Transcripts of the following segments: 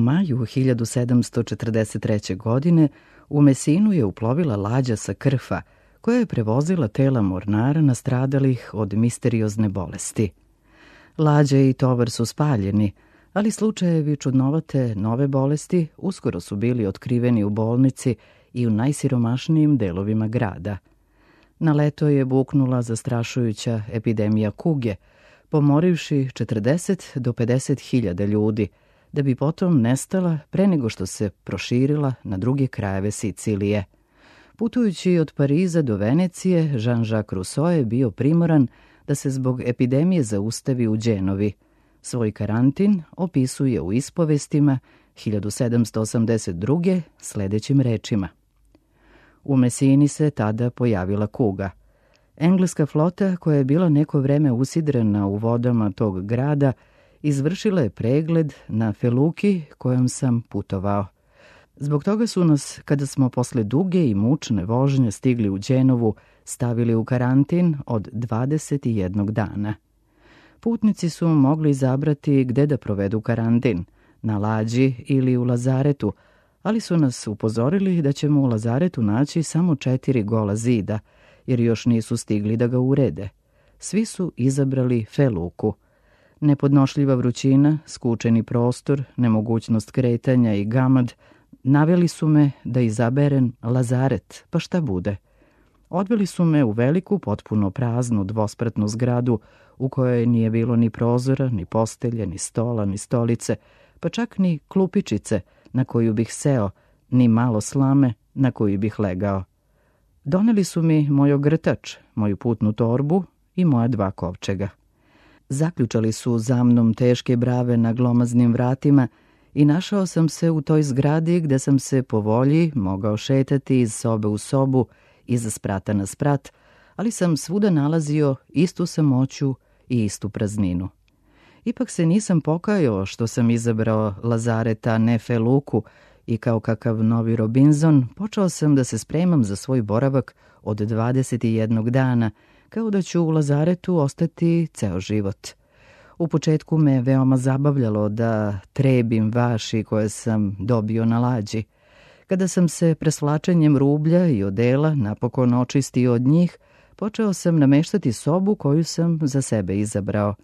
maju 1743. godine u Mesinu je uplovila lađa sa Krfa, koja je prevozila tela mornara nastradalih od misteriozne bolesti. Lađa i tovar su spaljeni, ali slučajevi čudnovate nove bolesti uskoro su bili otkriveni u bolnici i u najsiromašnijim delovima grada. Na leto je buknula zastrašujuća epidemija kuge, pomorivši 40 do 50 hiljada ljudi, da bi potom nestala pre nego što se proširila na druge krajeve Sicilije. Putujući od Pariza do Venecije, Jean-Jacques Rousseau je bio primoran da se zbog epidemije zaustavi u Đenovi. Svoj karantin opisuje u ispovestima 1782. sledećim rečima. U Mesini se tada pojavila kuga. Engleska flota, koja je bila neko vreme usidrena u vodama tog grada, izvršila je pregled na feluki kojom sam putovao. Zbog toga su nas, kada smo posle duge i mučne vožnje stigli u Đenovu, stavili u karantin od 21 dana. Putnici su mogli izabrati gde da provedu karantin, na lađi ili u lazaretu, ali su nas upozorili da ćemo u lazaretu naći samo 4 gola zida, jer još nisu stigli da ga urede. Svi su izabrali feluku. Nepodnošljiva vrućina, skučeni prostor, nemogućnost kretanja i gamad naveli su me da izaberem lazaret, pa šta bude. Odveli su me u veliku, potpuno praznu dvospratnu zgradu u kojoj nije bilo ni prozora, ni postelje, ni stola, ni stolice, pa čak ni klupičice na koju bih seo, ni malo slame na koju bih legao. Doneli su mi moj ogrtač, moju putnu torbu i moja 2 kovčega. Zaključali su za mnom teške brave na glomaznim vratima i našao sam se u toj zgradi gde sam se po volji mogao šetati iz sobe u sobu, iz sprata na sprat, ali sam svuda nalazio istu samoću i istu prazninu. Ipak se nisam pokajao što sam izabrao lazareta, ne feluku, i kao kakav novi Robinson počeo sam da se spremam za svoj boravak od 21 dana, kao da ću u lazaretu ostati ceo život. U početku me veoma zabavljalo da trebim vaši koje sam dobio na lađi. Kada sam se presvlačenjem rublja i odela napokon očistio od njih, počeo sam nameštati sobu koju sam za sebe izabrao.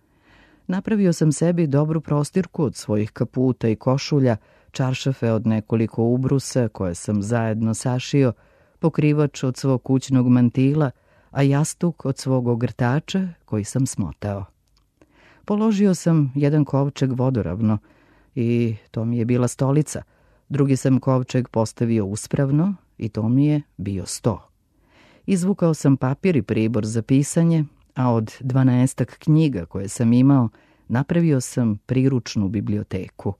Napravio sam sebi dobru prostirku od svojih kaputa i košulja, čaršafe od nekoliko ubrusa koje sam zajedno sašio, pokrivač od svog kućnog mantila, a jastuk od svog ogrtača koji sam smotao. Položio sam jedan kovčeg vodoravno i to mi je bila stolica. Drugi sam kovčeg postavio uspravno i to mi je bio sto. Izvukao sam papir i pribor za pisanje, a od 12 knjiga koje sam imao napravio sam priručnu biblioteku.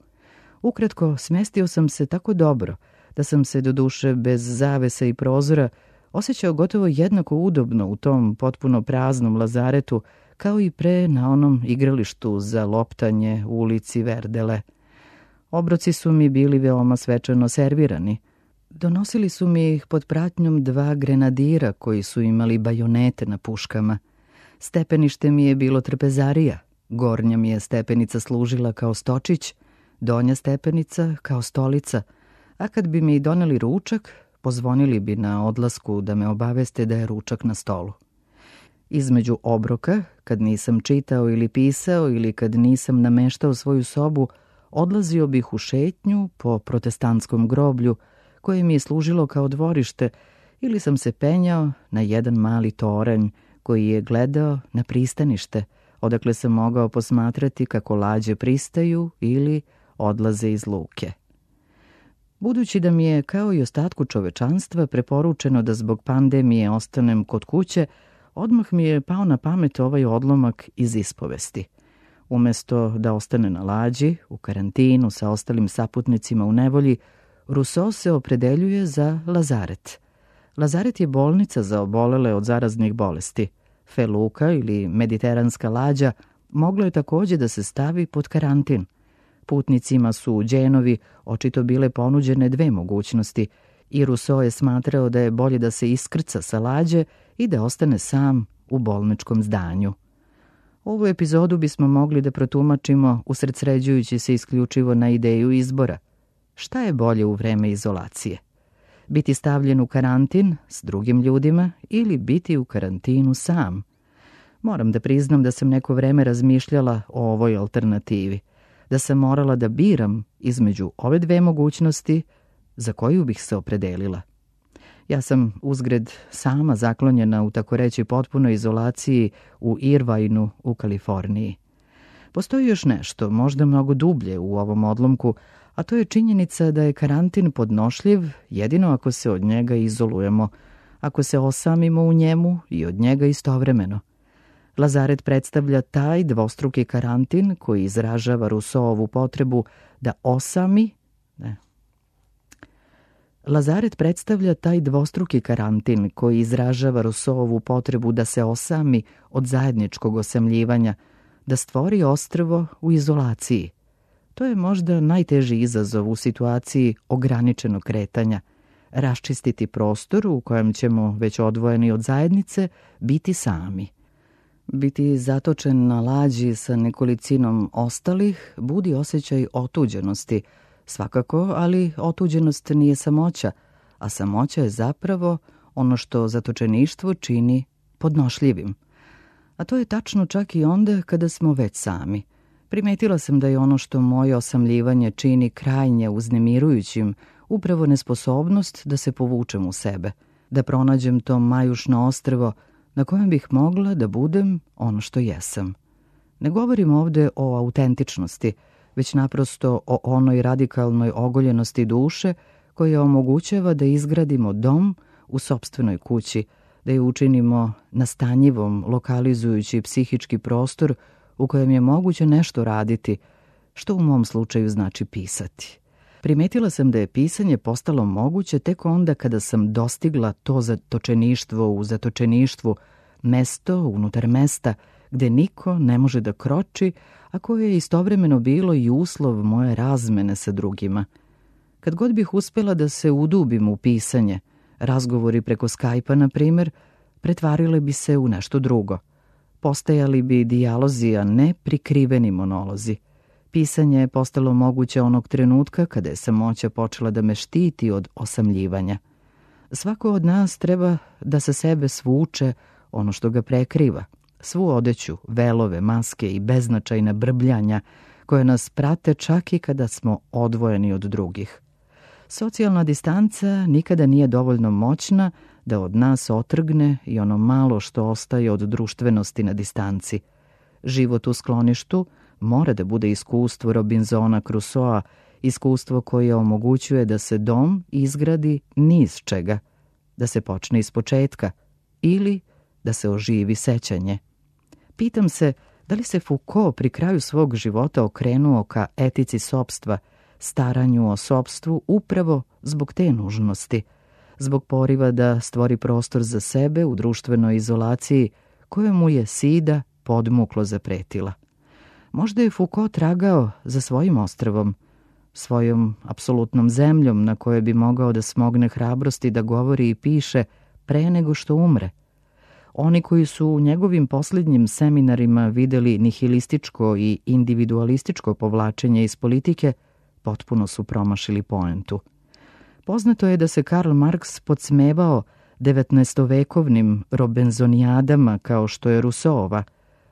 Ukratko, smestio sam se tako dobro da sam se doduše bez zavesa i prozora osjećao gotovo jednako udobno u tom potpuno praznom lazaretu kao i pre na onom igralištu za loptanje u ulici Verdele. Obroci su mi bili veoma svečano servirani. Donosili su mi ih pod pratnjom 2 grenadira koji su imali bajonete na puškama. Stepenište mi je bilo trpezarija, gornja mi je stepenica služila kao stočić, donja stepenica kao stolica, a kad bi mi doneli ručak, pozvonili bi na odlasku da me obaveste da je ručak na stolu. Između obroka, kad nisam čitao ili pisao ili kad nisam nameštao svoju sobu, odlazio bih u šetnju po protestantskom groblju koje mi je služilo kao dvorište ili sam se penjao na jedan mali toranj koji je gledao na pristanište, odakle sam mogao posmatrati kako lađe pristaju ili odlaze iz luke. Budući da mi je, kao i ostatku čovečanstva, preporučeno da zbog pandemije ostanem kod kuće, odmah mi je pao na pamet ovaj odlomak iz ispovesti. Umesto da ostane na lađi, u karantinu sa ostalim saputnicima u nevolji, Rousseau se opredeljuje za lazaret. Lazaret je bolnica za obolele od zaraznih bolesti. Feluka ili mediteranska lađa moglo je takođe da se stavi pod karantin. Putnicima su u Đenovi očito bile ponuđene 2 mogućnosti i Rousseau je smatrao da je bolje da se iskrca sa lađe i da ostane sam u bolničkom zdanju. Ovu epizodu bismo mogli da protumačimo usredsređujući se isključivo na ideju izbora. Šta je bolje u vreme izolacije? Biti stavljen u karantin s drugim ljudima ili biti u karantinu sam? Moram da priznam da sam neko vreme razmišljala o ovoj alternativi, da sam morala da biram između ove dve mogućnosti za koju bih se opredelila. Ja sam uzgred sama zaklonjena u tako reći potpunoj izolaciji u Irvineu u Kaliforniji. Postoji još nešto, možda mnogo dublje u ovom odlomku, a to je činjenica da je karantin podnošljiv jedino ako se od njega izolujemo, ako se osamimo u njemu i od njega istovremeno. Lazaret predstavlja taj dvostruki karantin koji izražava Rousseauovu potrebu da osami, Lazaret predstavlja taj dvostruki karantin koji izražava Rousseauovu potrebu da se osami od zajedničkog osamljivanja, da stvori ostrvo u izolaciji. To je možda najteži izazov u situaciji ograničenog kretanja, raščistiti prostor u kojem ćemo, već odvojeni od zajednice, biti sami. Biti zatočen na lađi sa nekolicinom ostalih budi osjećaj otuđenosti, svakako, ali otuđenost nije samoća, a samoća je zapravo ono što zatočeništvo čini podnošljivim. A to je tačno čak i onda kada smo već sami. Primetila sam da je ono što moje osamljivanje čini krajnje uznemirujućim upravo nesposobnost da se povučem u sebe, da pronađem to majušno ostrvo na kojem bih mogla da budem ono što jesam. Ne govorim ovde o autentičnosti, već naprosto o onoj radikalnoj ogoljenosti duše koja omogućava da izgradimo dom u sopstvenoj kući, da je učinimo nastanjivom, lokalizujući psihički prostor u kojem je moguće nešto raditi, što u mom slučaju znači pisati. Primetila sam da je pisanje postalo moguće tek onda kada sam dostigla to zatočeništvo u zatočeništvu, mesto unutar mesta gde niko ne može da kroči, a koje je istovremeno bilo i uslov moje razmene sa drugima. Kad god bih uspela da se udubim u pisanje, razgovori preko Skype-a, na primjer, pretvarile bi se u nešto drugo. Postajali bi dijalozi, a ne prikriveni monolozi. Pisanje je postalo moguće onog trenutka kada je samoća počela da me štiti od osamljivanja. Svako od nas treba da sa sebe svuče ono što ga prekriva, svu odeću, velove, maske i beznačajna brbljanja koje nas prate čak i kada smo odvojeni od drugih. Socijalna distanca nikada nije dovoljno moćna da od nas otrgne i ono malo što ostaje od društvenosti na distanci. Život u skloništu mora da bude iskustvo Robinsona Crusoea, iskustvo koje omogućuje da se dom izgradi ni iz čega, da se počne iz početka ili da se oživi sećanje. Pitam se da li se Foucault pri kraju svog života okrenuo ka etici sopstva, staranju o sopstvu upravo zbog te nužnosti, zbog poriva da stvori prostor za sebe u društvenoj izolaciji koje mu je sida podmuklo zapretila. Možda je Foucault tragao za svojim ostrvom, svojom apsolutnom zemljom na kojoj bi mogao da smogne hrabrosti da govori i piše pre nego što umre. Oni koji su u njegovim posljednjim seminarima videli nihilističko i individualističko povlačenje iz politike, potpuno su promašili poentu. Poznato je da se Karl Marx podsmevao 19-vekovnim robenzonijadama kao što je Rousseauova.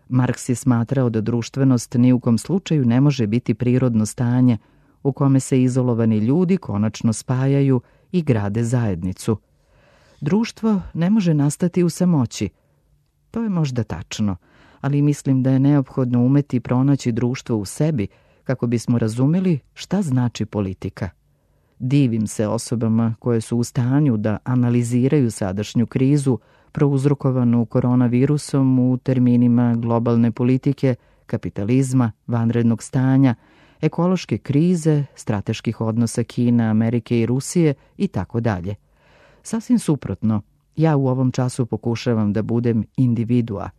Marks je smatrao da društvenost ni u kom slučaju ne može biti prirodno stanje u kome se izolovani ljudi konačno spajaju i grade zajednicu. Društvo ne može nastati u samoći. To je možda tačno, ali mislim da je neophodno umeti pronaći društvo u sebi kako bismo razumeli šta znači politika. Divim se osobama koje su u stanju da analiziraju sadašnju krizu prouzrokovanu koronavirusom u terminima globalne politike, kapitalizma, vanrednog stanja, ekološke krize, strateških odnosa Kine, Amerike i Rusije i tako dalje. Sasvim suprotno, ja u ovom času pokušavam da budem individua,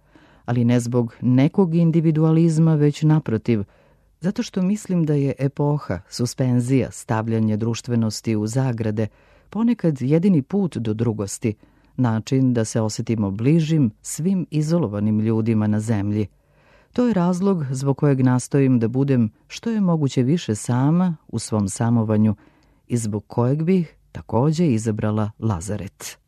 ali ne zbog nekog individualizma, već naprotiv, zato što mislim da je epoha, suspenzija, stavljanje društvenosti u zagrade, ponekad jedini put do drugosti, način da se osjetimo bližim svim izolovanim ljudima na zemlji. To je razlog zbog kojeg nastojim da budem što je moguće više sama u svom samovanju i zbog kojeg bih takođe izabrala Lazaret.